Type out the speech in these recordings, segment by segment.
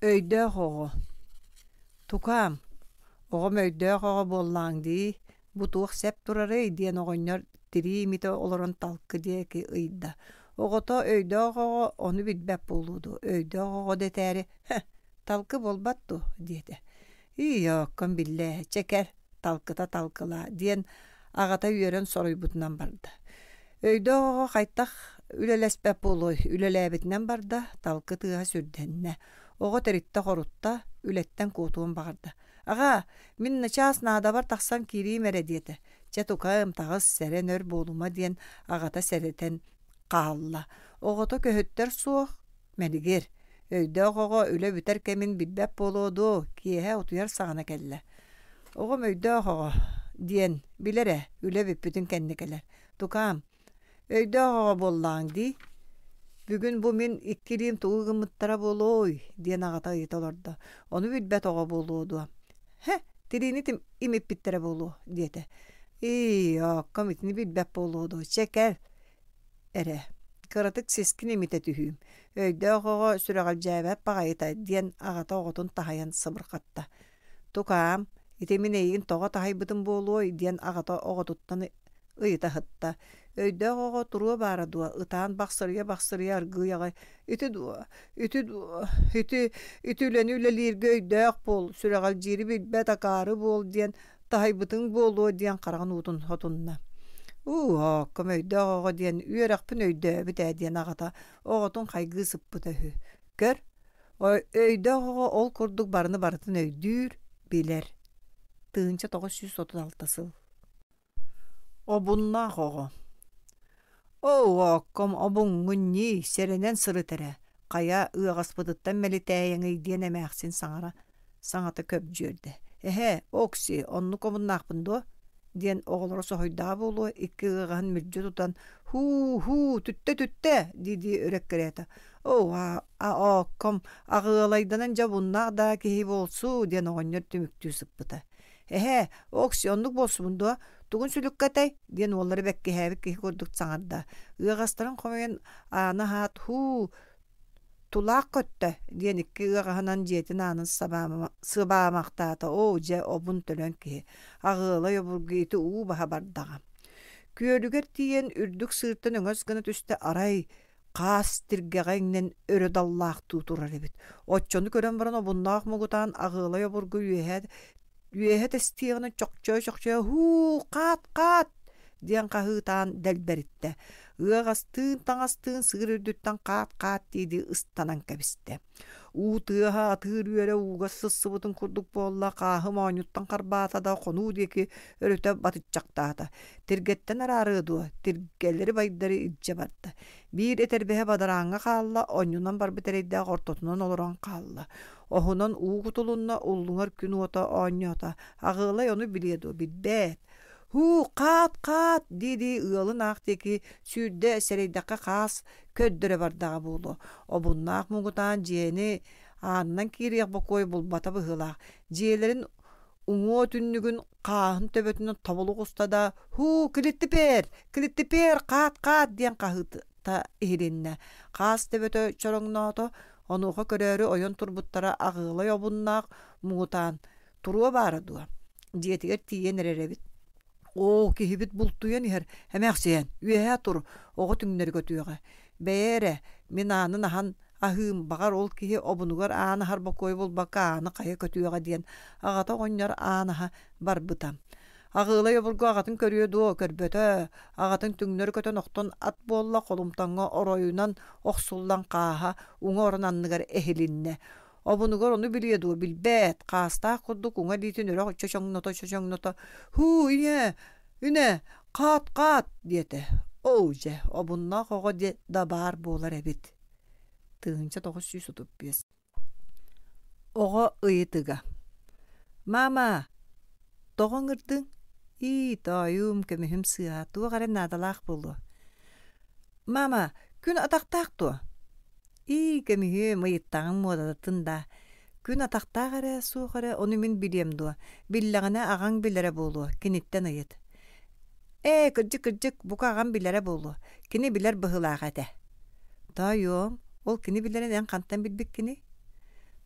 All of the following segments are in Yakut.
Өйдөөх оҕо «Тукаам, оҕом өйдөөх оҕо буоллаҕыҥ дии, бу туох сэп турарый?» диэн оҕонньор тирии имитэ олорон талкы диэки ыйда. Оҕото өйдөөх оҕо ону билбэт буолуо дуо, өйдөөх оҕо дэтээри «Һэ, талкы буолбат дуо?» диэтэ. «Ии, оокком биллээ, чэ кэл, талкыта талкылаа» диэн аҕата үөрэн соруйбутунан барда. Өйдөөх оҕо хайтах үлэлэспэт буолуой, үлэлээбитинэн барда, талкы тыаһа сүрдэннэ. Оҕо тэриттэ-хорутта, үлэттэн куотуон баҕарда. «Аҕаа, мин начаас наадабар тахсан киириим эрэ» диэтэ. «Чэ, тукаам, таҕыс, сэрэн өр буолума» диэн аҕата сэрэтэн хаалла. Оҕото көһүттэр суох, мэлигир. Өйдөөх оҕо үлэ бүтэр кэмин билбэт буолуо дуо, киэһэ утуйар саҕана кэллэ. Оҕом өйдөөх оҕо диэн билэр ээ, үлэ бүппүтүн кэннэ кэлэр. Тукаам, өйдөөх оҕо буоллаҕыҥ дии. Бүгүн бу мин икки илиим тугу гыммыттара буолуой диэн аҕата ыйыта олордо. Ону билбэт оҕо буолуо дуо? Һэ, тириини имиппиттэрэ буолуо диэтэ. Ии, оокком итини билбэт буолуо дуо? Чэ кэл эрэ, кыратык сискин имитэ түһүүм. Өйдөөх оҕо сүрэҕэлдьээбэт баҕайыта диэн аҕата оҕотун таһыйан сыбырҕатта. «Тукаам, ити мин эйигин тоҕо таһыйбытым буолуой?» диэн аҕата оҕотуттан ыйыта сытта. Өйдөөх оҕо туруо баара дуо, ытаан бахсырыйа-бахсырыйа аргыый аҕай «Ити дуо, ити дуо, ити, ити үлэни үлэлииргэ өйдөөх буол, сүрэҕэлдьиири билбэт акаары буол диэн таһыйбытыҥ буолуо» диэн хараҕын уутун сотунна. «Уу, оокком өйдөөх оҕо диэн үөрэхпин өйдөөбүт ээ» диэн аҕата оҕотун хайгыы сыппыта үһү. «Көр, Өйдөөх оҕо ол курдук барыны барытын өйдүүр, билэр. 1936 сыл. Обуннаах оҕо Оо, оокком, обуҥҥун ньии, сэрэнэн сырыт эрэ, хайа ыаҕаспытыттан мэлитээйэҥий диэн эмээхсин саҥара саҥата көбдьүөрдэ. Эһээ, Окси, оннук омуннаахпын дуо? диэн оҕолоро соһуйдаҕа буолуо, икки ыаҕаһын мүлдьү тутан «Һуу-һуу, түттэ-түттэ!» дии-дии өрө эккирээтэ. «Оо, оокком, аҕыалайданан дьэ обуннаах даа киһи буолсу» диэн оҕонньор түмүктүү сыппыта. «Эһээ, Окси, оннук буолсубун дуо? Тугун сүлүккэтэй?» диэн уоллара бэккиһээбит киһи курдук саҥарда. Ыаҕастарын хомуйан ааны аһаат, «Һуу, Тулаах көттө диэн икки ыаҕаһынан дьиэтин аанын сыбаамахтаата оо дьэ обун төлөн киһи аҕыалай обургу ити уу баһа бардаҕа Күөлүгэр тиийэн үрдүк сыыртан өҥөс гына түстэ арай хаас тиргэҕэ иҥнэн өрө даллаахтыы турар эбит оччону көрөн баран обуннаах мугутаан аҕыалай обургу үөһэ үөһэ тэстиэҕинэн чохчойо-чохчойо «Һуу, хаат-хаат!» диэн хаһыытаан дэлбэриттэ. Ыаҕастыын таҥастыын сыыр үрдүттэн хаат-хаат дии-дии ыстанан кэбистэ. Уу тыаһа атыыр үөрэ ууга сыссыбытын курдук буолла, хааһы моонньуттан харбаата да хонуу диэки өрүтэ батыччахтаата. Тиргэттэн араарыа дуо, тиргэлэри байдары илдьэ барда. Биир этэрбэһэ бадарааҥҥа хаалла, онньунан барбыт эрэйдээх ортотунан олорон хаалла. Оһунан уу кутулунна, уллуҥар күн уота оонньоото. Аҕыалай ону билиэ дуо, билбэт. «Һуу, хаат-хаат!» дии-дии ыалын аах диэки сүүрдэ сэрэйдэххэ хаас көрдөрө бардаҕа буолуо. Обуннаах муҥутаан дьиэни аанынан киириэх бокуой булбата быһыылаах. Дьиэлэрин уҥуо түннүгүн хааһын төбөтүнэн тобулу оҕуста да «Һуу, килиттипээр! Килиттипээр! Хаат-хаат!» диэн хаһыыта иһилиннэ. Хаас төбөтө чороҥноото, онуоха көрөөрү ойон турбуттара аҕыалай обуннаах муҥутаан туруо баара дуо дьиэтигэр тиийэн эрэр эбит оо киһибит бултуйан иһэр эмээхсиэн үөһээ тур оҕо түҥнэри көтүөҕэ бэйэ эрэ мин аанын аһан аһыым баҕар ол киһи обунугар аан аһар бокуойу булбакка ааны хайа көтүөҕэ диэн аҕата оҕонньор аан аһа барбыта Аҕыылай обургу аҕатын көрүө дуо, көрбөтө, аҕатын түҥнэри көтөн охтон ат буолла, холумтаҥҥа оройунан охсуллан хааһа уҥа орон анныгар эһилиннэ. Обунугар ону билиэ дуо, билбэт, хаастаах курдук уҥа илиитин өрө чочоҥното-чочоҥното «Һуу, ийээ, үнэ, хаат-хаат!» диэтэ. Оо дьэ, обуннаах оҕо да баар буолар эбит. 1935 Оҕо ыйытыга «Маама, тоҕо ыҥырдыҥ?» «Ии, тоойуум, көмүһүм сыыһа, туох эрэ наадалаах буолуо». «Маама, күн атахтаах дуо?» «Ии, көмүһүм, ыйыттаҕыҥ муодатын даа. Күн атахтаах эрэ, суох эрэ, ону мин билиэм дуо? Биллэҕинэ аҕаҥ билэрэ буолуо, киниттэн ыйыт». «Ээ, кырдьык-кырдьык, бука аҕам билэрэ буолуо. Кини билэр быһыылаах этэ». «Тоойуом, ол кини билэрин эн хантан билбиккиний?»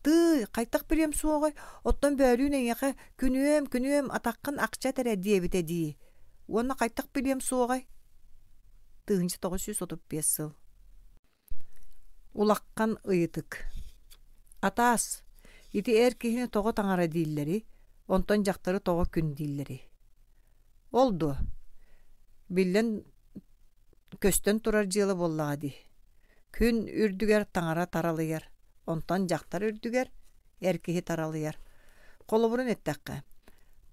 Тыый, хайтах билиэм суоҕай, оттон бөөлүүн эйиэхэ күнүөм, күнүөм, атаххын акча этэрэ диэбитэ дии. Уонна хайтах билиэм суоҕай? 1935 сыл. Улаххан ыйытык. Атаас, ити эр киһини тоҕо таҥара дииллэрий, онтон дьахтары тоҕо күн дииллэрий? Ол дуо? Биллэн көстөн турар дьыала буоллаҕа дии. Күн үрдүгэр таҥара таралыйар, онтон дьахтар үрдүгэр эр киһи таралыйар. Холобурун эттэххэ,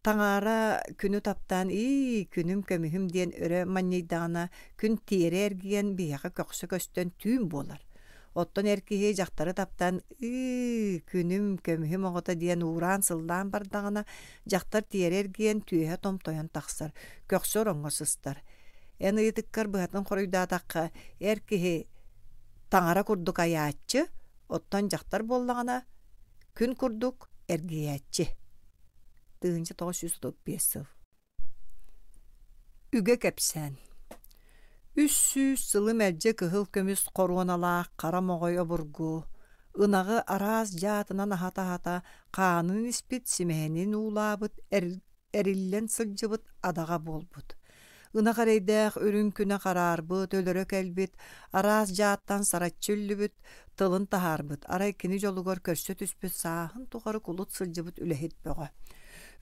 таҥара күнү таптаан ии, күнүм көмүһүм диэн өрө манньыйдаҕына, күн тиэрэ эргийэн биһиэхэ көхсө көстөн түүн буолар. Оттон эр киһи дьахтары таптаан ыы, күнүм, көмүһүм оҕото диэн уураан-сыллаан бардаҕына, дьахтар тиэрэ эргийэн түөһэ томтойон тахсар, көхсө ороҥҥо сыстар. Эн ыйытыккар быһатын хоруйдаатахха, эр киһи таҥара курдук айааччы, оттон дьахтар буоллаҕына, күн курдук эргийээччи. 1935 сыл. Үгэ кэпсээн 300 сылы мэлдьи кыһыл көмүс хоруоналаах хара моҕой обургу, ынаҕы араас дьаатынан аһата-аһата хаанын испит, симэһинин уулаабыт эриллэн сылдьыбыт адаҕа буолбут. Ынах эрэйдээх үрүҥ күнэ хараарбыт, өлөрө кэлбит, араас дьааттан сараччы үллүбүт, тылын таһаарбыт, арай кини дьолугар көрсө түспүт сааһын тухары кулут сылдьыбыт үлэһит бөҕө.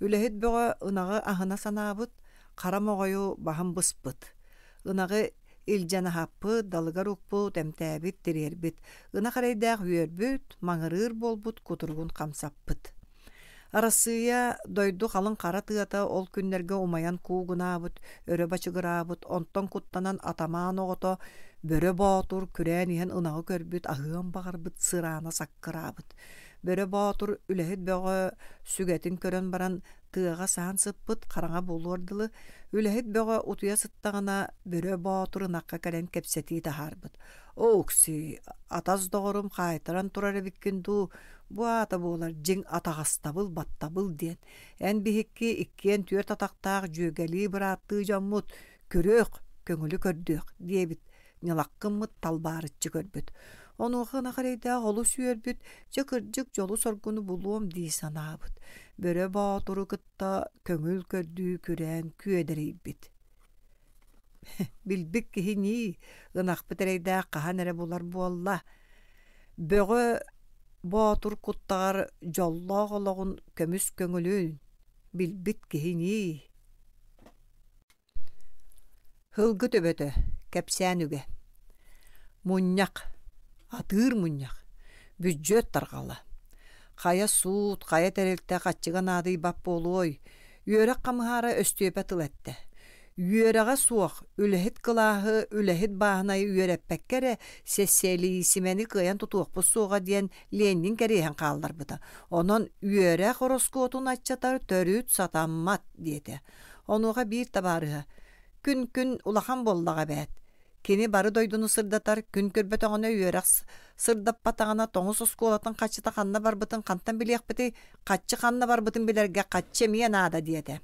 Үлэһит бөҕө ынаҕы аһына санаабыт, хара моҕойу баһын быспыт. Ынаҕы илдьэн аһаппыт, далыгар укпут, эмтээбит, тириэрбит. Ынах эрэйдээх үөрбүт, маҥырыыр буолбут кутуругун хамсаппыт. Арассыыйа дойду халыҥ хара тыата ол күннэргэ умайан куугунаабыт, өрө бачыгыраабыт, онтон куттанан атамаан оҕото Бөрө Боотур күрээн иһэн ынаҕы көрбүт, аһыан баҕарбыт сыраана саккыраабыт. Бөрө Боотур үлэһит бөҕө сүгэтин көрөн баран тыаҕа саһан сыппыт, хараҥа буолуор дылы үлэһит бөҕө утуйа сыттаҕына Бөрө Боотур ынахха кэлэн кэпсэтии таһаарбыт. Оокси, атас доҕорум хаайтаран турар эбиккин дуу, бу аата буолар дьиҥ атаҕастабыл, баттабыл диэн. Эн биһикки иккиэн түөрт атахтаах дьүөгэлии бырааттыы дьоммут, көрүөх, көҥүлү көрдүөх диэбит ньылаххыммыт талбаарыччы көрбүт. Онуоха ынах эрэйдээх олус үөрбүт, дьэ кырдьык дьолу-соргуну булуом дии санаабыт. Бөрө Боотуру кытта көҥүл көрдүү күрээн күөдэрийбит. Билбит киһи ньии, ынахпыт эрэйдээх хаһан эрэ булар буолла. Бөҕө Боотур куттаҕар дьоллоох олоҕун көмүс көҥүлүн билбит киһи ньии. Һылгы төбөтө, кэпсээн үгэ. Мунньах, атыыр мунньах, бүддьүөт тарҕала. Хайа суут, хайа тэрилтэ хаччыга наадыйбат буолуой, Үөрэх хамыһаара Өстүөпэ тыл эттэ: «Үөрэҕэ суох, үлэһит кылааһы, үлэһит бааһынайы үөрэппэккэ эрэ сэссиэлиисимэни кыайан тутуохпут суоҕа диэн Ленин кэриэһин хаалларбыта. Онон үөрэх ороскуотун аччатар төрүт сатаммат» диэтэ. Онуоха биир табаарыһа: «Күн-күн улахан буоллаҕа эбээт. Кини бары дойдуну сырдатар, күн көрбөтөҕүнэ үөрэх сырдаппатаҕына тоҥус оскуолатын хаччыта ханна барбытын хантан билиэхпитий, хаччы ханна барбытын билэргэ хаччы эмиэ наада диэтэ.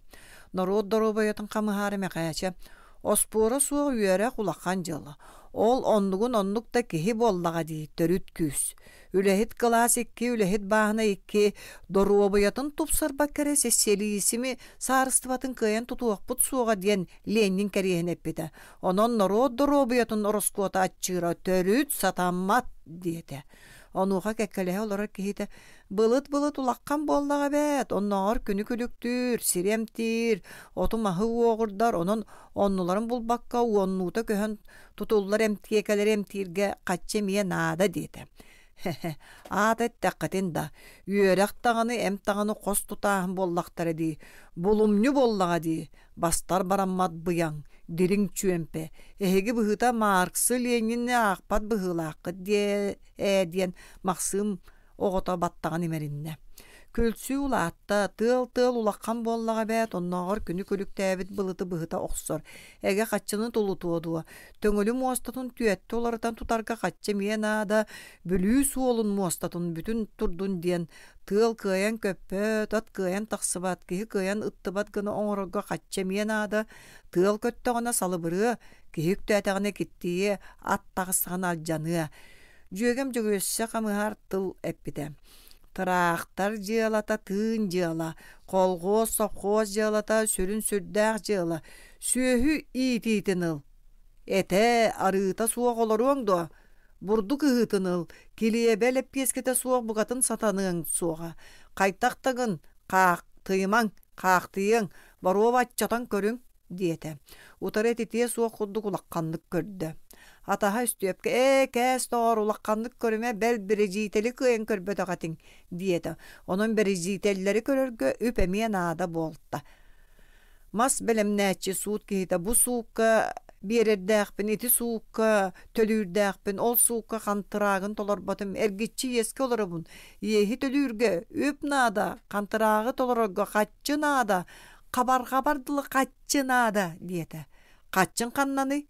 Норуот доруобуйатын хамыһаары Мэхээчэ Оспуора суох үөрэх улахан дьыала. Ол оннугун оннук да киһи буоллаҕа дии, төрүт күүс. Үлэһит кылаас икки, үлэһит бааһына икки, доруобуйатын тупсарбакка эрэ сэссиэлиисими саарыстыбатын кыайан тутуохпут суоҕа диэн Ленин кэриэһин эппитэ. Онон норуот доруобуйатын ороскуота аччыыра төрүт сатаммат диэтэ. Онуоха кэккэлэһэ олорор киһитэ былыт-былыт улаххан буоллаҕа эбээт, оннооҕор күнү күлүктүүр, сири эмтиир, оту-маһы уоҕурдар, онон оннуларын булбакка уоннуута көһөн тутуллар эмтиэкэлэри эмтииргэ хаччы эмиэ наада диэтэ. Аата эттэххитин да, үөрэх даҕаны, эмп даҕаны хос тутааһын буоллахтара дии, булумньу буоллаҕа дии, бастар бараммат быйаҥ, дириҥ чүөмпэ, эһиги быһыыта Марксы, Ленини аахпат быһыылааххыт диэ ээ диэн Махсыым оҕото баттаҕын имэриннэ. Күлсүү улаатта, тыал-тыал улахан буоллаҕа эбээт, оннооҕор күнү күлүктээбит былыты быһыта охсор, эгэ хаччыны тулутуо дуо, Төҥүлү муостатын түөттэ уларытан тутарга хаччы эмиэ наада, Бүлүү суолун муостатын бүтүн турдун диэн тыал кыайан көппөт, ат кыайан тахсыбат, киһи кыайан ыттыбат гына оҥорорго хаччы эмиэ наада, тыал көттөҕүнэ салыбырыа, киһи үктээтэҕинэ киттийиэ, ат таҕыстаҕына алдьаныа. Дьүөгэм Дьөгүөссэ хамыһаар тыл эппитэ. Тыраахтар дьыалата тыын дьыала, колхуос, сопхуос дьыалата сүрүн сүрдээх дьыала. Сүөһү иитиитин ыл. Этэ, арыыта суох олоруоҥ дуо? Бурдук ыһыытын ыл, килиэбэ лэппиэскэтэ суох букатын сатаныаҥ суоҕа. Хайтах да гын, хаахтыйымаҥ, хаахтыйыаҥ, боруоба аччатан көрүҥ диэтэ. Утары этитиэ суох курдук улаханнык көрдө. Атаһа Өстүөпкэ «Ээ, кээс доҕоор, улаханнык көрүмэ, бэл бэрэдьиитэли кыайан көрбөтөх этиҥ» диэтэ. Онон бэрэдьиитэллэри көрөргө үп эмиэ наада буолта. Мас бэлэмнээччи суут киһитэ бу суукка биэрэрдээхпин, ити суукка төлүүрдээхпин, ол суукка хантыраагын толорботум, эргиччи иэскэ олоробун, иэһи төлүүргэ үп наада, хантыраагы толорорго хаччы наада, хабарҕабар дылы хаччы наада диэтэ. Хаччын ханнаный?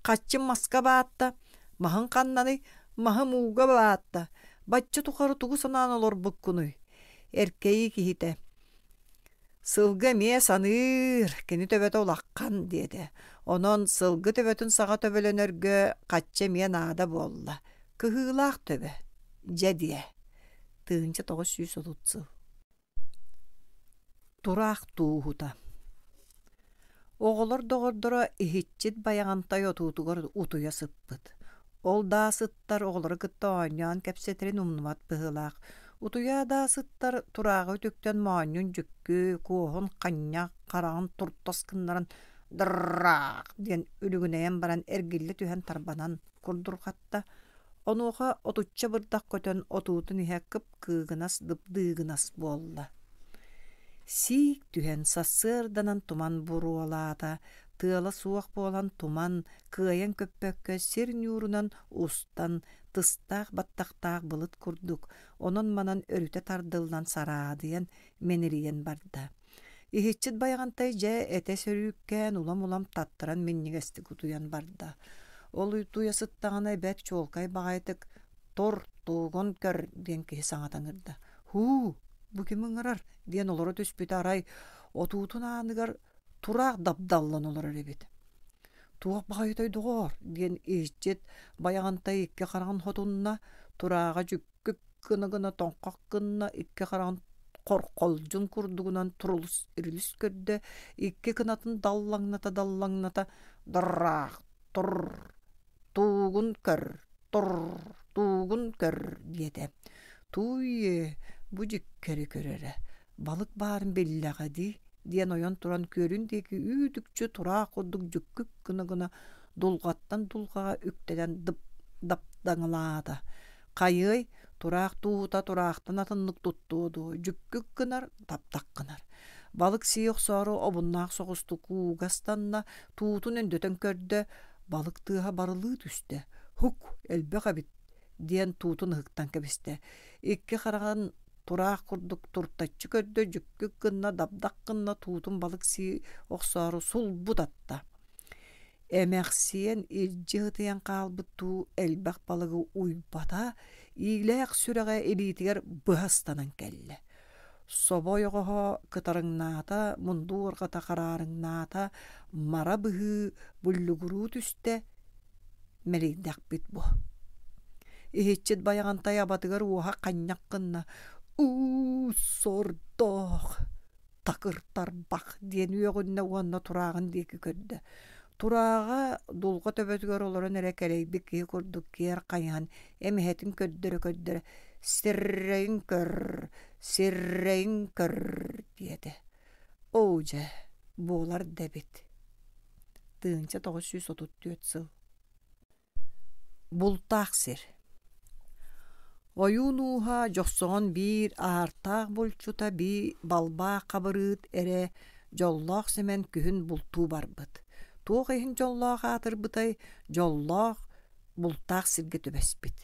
Хаччым маска баатта, маһын ханнаный? Маһым ууга баатта. Бачча тухары тугу санаан олорбуккунуй? Эркэйии киһитэ. Сылгы эмиэ саныыр, кини төбөтө улахан диэтэ. Онон сылгы төбөтүн саҕа төбөлөнөргө хаччы эмиэ наада буолла. Кыһыылаах төбө. Дьэ диэ. 1930 сыл. Тураах тууһута Оҕолор доҕордоро иһиччит Байаҕантай отуутугар утуйа сыппыт. Ол даа сыттар оҕолору кытта оонньоон кэпсэтэрин умнубат быһыылаах. Утуйа даа сыттар турааҕы үтүктэн моонньун дьүккү, куоһун ханньах, хараҕын туртас гыннаран «драах» диэн үлүгүнэйэн баран эргиллэ түһэн тарбанан курдурҕатта. Онуоха отучча бырдах көтөн отуутун иһэ кып кыыгынас дыбдыыгынас буолла. Сиик түһэн сарсыарданан туман буруолаата, тыала суох буолан туман кыайан көппөккө сир ньуурунан устан тыстаах баттахтаах былыт курдук онон-манан өрүтэ тардыллан сараадыйан мэнэрийэн барда. Иһиччит Байаҕантай дьэ этэ сөрүүккээн улам-улам таттаран минньигэстик утуйан барда. Ол утуйа сыттаҕына бэрт чуолкай баҕайытык «Тур, туугун көр» диэн киһи саҥата ыҥырда. «Һуу, бу ким ыҥырар?» диэн олоро түспүтэ арай отуутун ааныгар тураах дабдаллан олорор эбит. «Туох баҕайытай доҕоор?» диэн иһиччит Байаҕантай икки хараҕын хотунна, турааҕа дьүккүк гына-гына тоҥхох гынна, икки хараҕын хорхолдьун курдугунан турулус ирилис көрдө, икки кынатын даллаҥната-даллаҥната «Драах, тур, туугун көр, тур, туугун көр» диэтэ. «Тууй, бу дьиккэри көрөрө, балык баарын биллэҕэ дии» диэн ойон туран күөлүн диэки үүт-үкчү тураах курдук дьүккүк гына-гына дулҕаттан дулҕаҕа үктэнэн дып даптаҥалаата. Хайыай, тураах тууһута тураахтан атыннык туттуо дуо, дьүккүк гынар, таптах гынар. Балык сии охсоору обуннаах соҕустук ууга ыстанна, туутун өндөтөн көрдө, балык тыаһа барылыы түстэ. Һук, элбэх эбит диэн туутун ыһыктан кэбистэ. Икки хараҕын тураах курдук туртаччы көрдө, дьүккүк гынна, дабдах гынна, туутун балык сии охсоору сулбу татта. Эмэхсиэн илдьи ытыйан хаалбыт дуу элбэх балыгы уйбата, иилээх сүрэҕэ илиитигэр быһа ыстанан кэллэ. Собо ойоҕоһо кытарыҥнаата, мунду уорҕата хараарыҥнаата, мара быһыы буллугуруу түстэ, мэлийдэхпит бу. Иһиччит Байаҕантай абатыгар уоһа ханньах гынна: «Уу, сордоох!» такыр тарбах диэн үөҕүннэ уонна турааҕын диэки көрдө. Турааҕа дулҕа төбөтүгэр олорон эрэ кэлэйбит киһи курдук киэр хайыһан эмэһэтин көрдөрө-көрдөрө «Сиррэйин көр, сиррэйин көр» диэтэ. Оо дьэ, буолар да эбит. 1934 сыл Бултаах сир Ойуун ууһа Дьохсоҕон биир аартаах булчута бии Балбаах Хабырыыт эрэ Дьоллоох Сэмэн күһүн бултуу барбыт. Туох иһин дьоллоох аатырбытай, дьоллоох бултаах сиргэ түбэспит.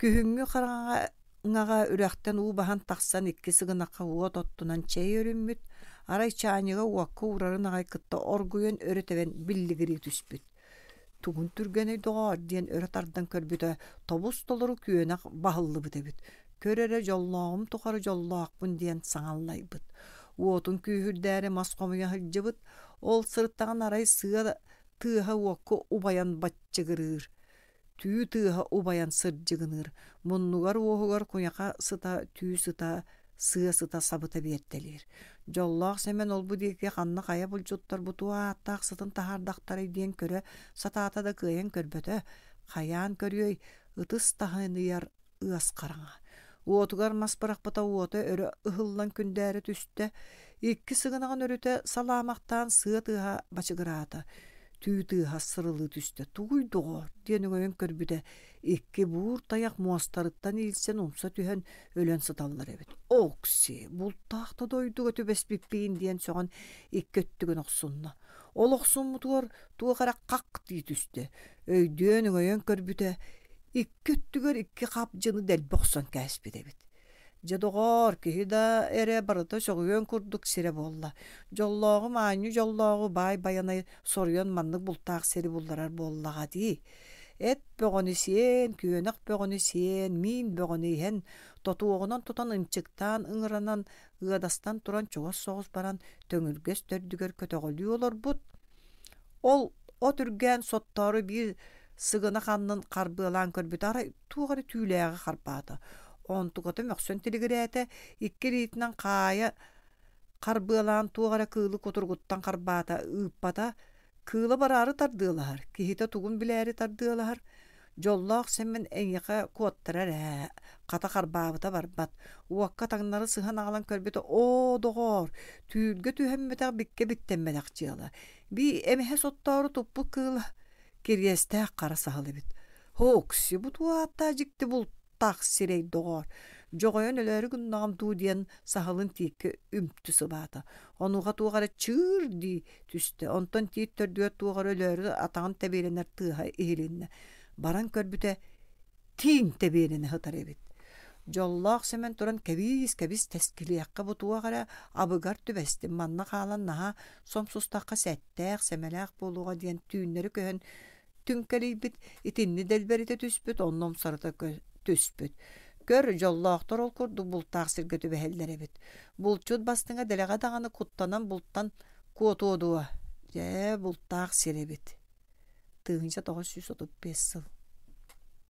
Күһүҥҥү хараҥаҕа үрэхтэн уу баһан тахсан икки сыгынахха уот оттунан чэй өрүммүт, арай чаанньыга уокка уурарын аҕай кытта оргуйан өрө тэбэн биллигирии түспүт. Тугун түргэнэй доҕоор диэн өрө тардан көрбүтэ тобус-толору күөнэх баһыллыбыт эбит. Көр эрэ дьоллооҕум тухары дьоллоохпун диэн саҥаллайбыт. Уотун күүһүрдээри мас хомуйа сылдьыбыт. Ол сырыттаҕына арай сыа тыаһа уокка убайан баччыгырыыр. Түү тыаһа убайан сырдьыгыныыр, муннугар-уоһугар куйаха сыта, түү сыта, сыа сыта сабыта биэртэлиир. Дьоллоох Сэмэн ол-бу диэки ханна хайа булчуттар бу туох ааттаах сытын таһаардахтарай диэн көрө сатаата да кыайан көрбөтө. Хайаан көрүөй, ытыс таһыныйар ыас хараҥа. Уотугар мас бырахпыта уота өрө ыһыллан күндээрэ түстэ, икки сыгынаҕын өрүтэ салаамахтаан сыа тыаһа бачыгыраата, түү тыаһа сырылыы түстэ. «Тугуй доҕоор?» диэн өҥөйөн көрбүтэ, икки буур тайах муостарыттан иилсэн умса түһэн өлөн сыталлар эбит. «Окси, бултаах да дойдуга түбэспиппиин» диэн сөҕөн икки өттүгүн охсунна. Ол охсуммутугар туох эрэ хах дии түстэ. Өйдүөн өҥөйөн көрбүтэ, икки өттүгэр икки хапдьыны дэлби охсон кээспит эбит. Дьэ доҕоор, киһи да эрэ барыта сөҕүөн курдук сирэ буолла. Дьоллооҕу маанньы дьоллооҕу баай Байанай соруйан маннык бултаах сири булларар буоллаҕа дии. Эт бөҕөнү сиэн, күөнэх бөҕөнү сиэн, миин бөҕөнү иһэн, тотуоҕунан тутан ынчыктаан ыҥыранан, ыадастан туран чугас соҕус баран төҥүргэс төрдүгэр көтөҕөлүү олорбут. Ол от үргээн соттоору биир сыгынах аннын харбыалаан көрбүтэ арай туох эрэ түүлээҕи харбаата. Онтуката мөхсөн тилигирээтэ, икки илиитинэн хаайа харбыалаан туох эрэ кыылы кутуругуттан харбаата, ыыппата, кыыла бараары тардыалаһар, киһитэ тугун билээри тардыалаһар. Дьоллоох Сэмэн эйиэхэ куоттарар ээ, хата харбаабыта барбат. Уокка таҥнары сыһан аҕалан көрбүтэ, оо, доҕоор, түүлгэ түһэммэтэх биккэ биттэммэтэх дьыала. Бии эмэһэ соттоору туппут кыыла кириэстээх хара саһыл эбит. Һоокси, бу туох ааттаах дьикти бултаах сирэй доҕоор, дьоҕойон өлөөрү гыннаҕым дуу диэн саһылын тииккэ үмтү сыбаата. Онуоха туох эрэ чыыр дии түстэ, онтон тиит төрдүгэр туох эрэ өлөөрү атаҕын тэбиэлэнэр тыаһа иһилиннэ. Баран көрбүтэ, тииҥ тэбиэлэнэ сытар эбит. Дьоллоох Сэмэн туран кэбиис-кэбис тэскилиэххэ бу туох эрэ абыгар түбэстим, манна хаалан наһаа сомсустахха сэттээх, сэмэлээх буолуоҕа диэн түүннэри көһөн түҥкэлийбит, итинни дэлбэритэ түспүт, онно умсарыта түспүт. Көр, дьоллоохтор ол курдук бултаах сиргэ түбэһэллэр эбит. Булчут бастыҥа дэлэҕэ даҕаны куттанан бултан куотуо дуо? Дьэ, бултаах сир эбит. 1935 сыл.